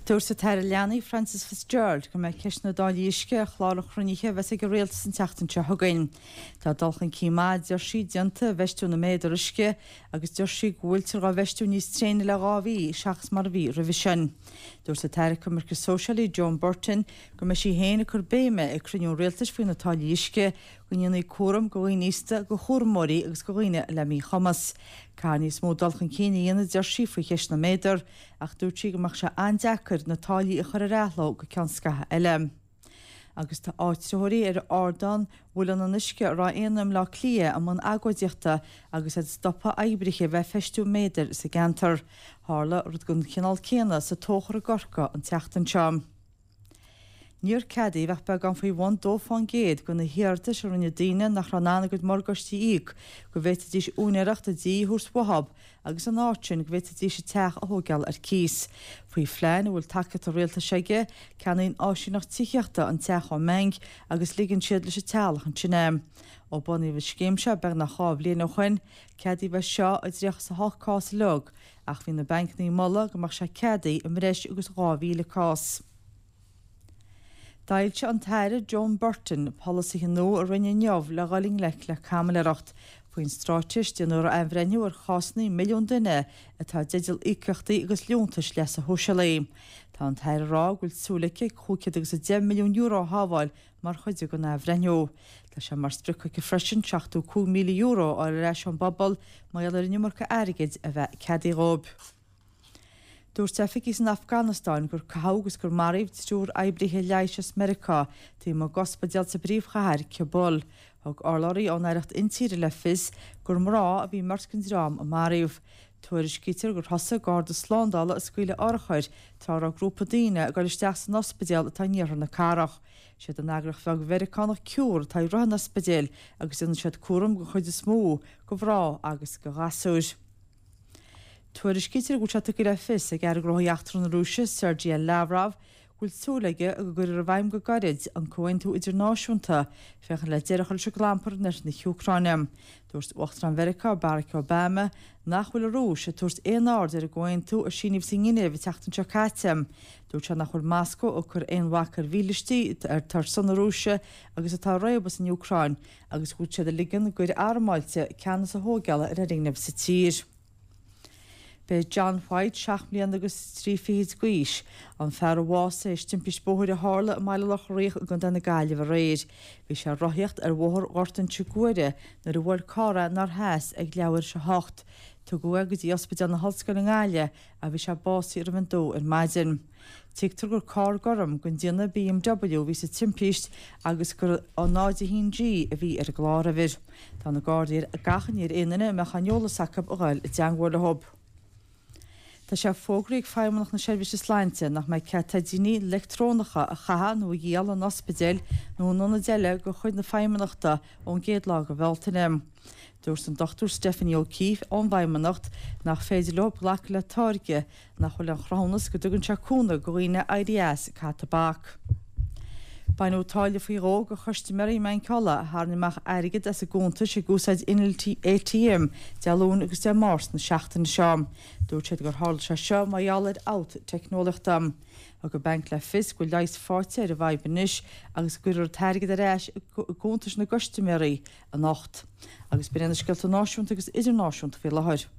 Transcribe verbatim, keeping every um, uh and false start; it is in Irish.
Dúirt an tAire Leanaí Frances Fitzgerald go mbeidh ceist na dtáillí uisce ar chlár an chruinnithe a bheas ag an rialtas an tseachtain seo chugainn. Tá dul chun cinn maith, deir sí, déanta i bhfeistiú na méadar uisce agus deir sí go bhfuiltear á bhfeistiú níos tréine le dhá mhí seachas mar a bhí roimhe sin. Dúirt an tAire Coimirce Sóisialaí Joan Burton go mbeidh sí féin ag cur béime ag cruinniú an rialtais faoi na táillí uisce go ndéanfaí cúram do dhaoine aosta, do chúramóirí agus do dhaoine le míchumas. Caithfear níos mó dul chun cinn a dhéanamh, deir sí, faoi cheist na méadar, ach dúirt sí go mbeadh sé an-deacair na táillí a chur ar athló go ceann scaithimh eile. Agus tá áitritheoirí ar ardán Mhuileann an Uisce i Ráth Éanna i mBleá Cliath i mbun agóidíochta agus iad ag stopadh oibrithe a bheith ag feistiú méadair sa gceantar. Tharla rud den chineál céanna sa Tóchar i gCorcaigh an tseachtain seo. Níor ceadaíodh ach beagán faoi bhun dó fán gcéad de na hiarratais a rinne daoine nach raibh in ann a gcuid morgáistí a íoc go bhféadfaidís úinéireacht a dtí a thabhairt uathu agus in áit sin go bhféadfaidís a dteach a thógáil ar cíos. Faoi phlean a bhfuil tacaíocht an rialtais aige, ceannaíonn áisíneacht tithíochta an teach ón mbanc agus ligeann siad leis an teaghlach ansin é. Ó bunaíodh an scéim seo beagnach dhá bhliain ó shin, ceadaíodh é seo i dtríocha is a hocht cás uilig ach bhí na bancanna ag moladh go mbeadh sé ceadaithe i mbreis agus dhá mhíle cás. D'fhoilsigh an tAire Joan Burton polasaithe nua a Roinne inniu le dhul i ngleic le caimiléireacht. Faoin straitéis, déanfar athbhreithniú ar chásanna milliún duine atá i dteideal íocaíochtaí agus liúntais leasa shóisialaigh. Tá an tAire ag rá go bhfuil súil aici cúig chéad agus a deich milliún euro a shábháil mar chuid den athbhreithniú. Tá sé mar sprioc aici freisin seachtó cúig míle euro a fháil ar ais ón bpobal mar gheall ar an iomarca airgid a bheith ceadaithe dhóibh. Dúirt oifigigh san Afganastáin gur caitheadh agus gur maraíodh triúr oibrithe leighis as Meiriceá taobh amuigh d'ospidéal sa bpríomhchathair, Cabul. Thug urlabhraí ón Aireacht Intíre le fios gur mná a bhí i mbeirt den dream a maraíodh. Tuairiscítear gur thosaigh garda slándála ag scaoileadh urchair tráth a raibh grúpa daoine ag dul isteach san ospidéal atá in iarthar na cathrach. Siad an eagraíocht bheag Mheiriceánach Cure atá ag rith an ospidéil agus déanann siad cúram den chuid is mó de mhná agus de ghasúir. Tuairiscítear go bhfuil sé tugtha le fios ag Aire Gnóthaí Eachtracha na Rúise, Sergei Lavrov, go bhfuil súil aige go gcuirfear i bhfeidhm go gairid an comhaontú idirnáisiúnta féachaint le deireadh a chur leis an gclampar in oirthear na hÚcráine. Dúirt Uachtarán Mheiriceá, Barack Obama, nach bhfuil an Rúis ag tabhairt aon aird ar an gcomhaontú a síníodh sa nGinéiv an tseachtain seo caite. Dúirt sé nach bhfuil Moscó ag cur aon bhac ar mhílístí atá ar son na Rúise agus atá ag réabadh san Úcráin agus go bhfuil siad ag ligean d'fhir armáilte ceannas a thógáil ar fhoirgnimh sa tír. B'é John White, seacht mbliana agus trí fichid d'aois, an fear a bhásaigh théis timpist bóthair a tharla i mBaile Locha Riach i gContae na Gaillimhe aréir. Bhí sé ag rothaíocht ar Bhóthar Ghort Inse Guaire nuair a bhuail carr é nár sheas ag leathuair théis a hocht. Tugadh é go dtí Ospidéal na hOllscoile i nGaillimh ach bhí sé básaithe roimh an dó ar maidin. Tuigtear gur carr gorm den déanamh BMW a bhí sa timpist agus gur náid a haon G a bhí ar an gcláruimhir. Tá na Gardaí ag achainí ar aon duine a mbeadh aon eolas acu a dhul i dteangmháil leo. Tá sé fógraithe ag Feidhmeannacht na Seirbhíse Sláinte nach mbeidh cead teidíní leictreonacha a chaitheamh nó a dhíol in ospidéil nó in ionaid eile de chuid na Feidhmeannachta ón gcéad lá de Bhealtaine. Dúirt an Dochtúir Stephanie O'Keeffe ón bhFeidhmeannacht nach féidir leo glacadh le táirge nach bhfuil aon chruthúnas go dtugann sé cúnamh do dhaoine éirí as ag caitheamh tobac. Baineadh táille faoi dhó de chustaiméirí i mBanc Uladh a tharraing amach airgead as a gcuntais ag úsáid innill A T M Dé Luain agus Dé Máirt na seachtaine seo. Dúirt siad gur tharla sé seo mar gheall ar fhabht teicneolaíochta. Thug an banc le fios go bhfuil leigheas faighte ar an bhfadhb anois agus go gcuirfear an t-airgead ar ais i gcuntais na gcustaiméirí anocht. Agus b'in iad na scéalta náisiúnta agus idirnáisiúnta faoi láthair.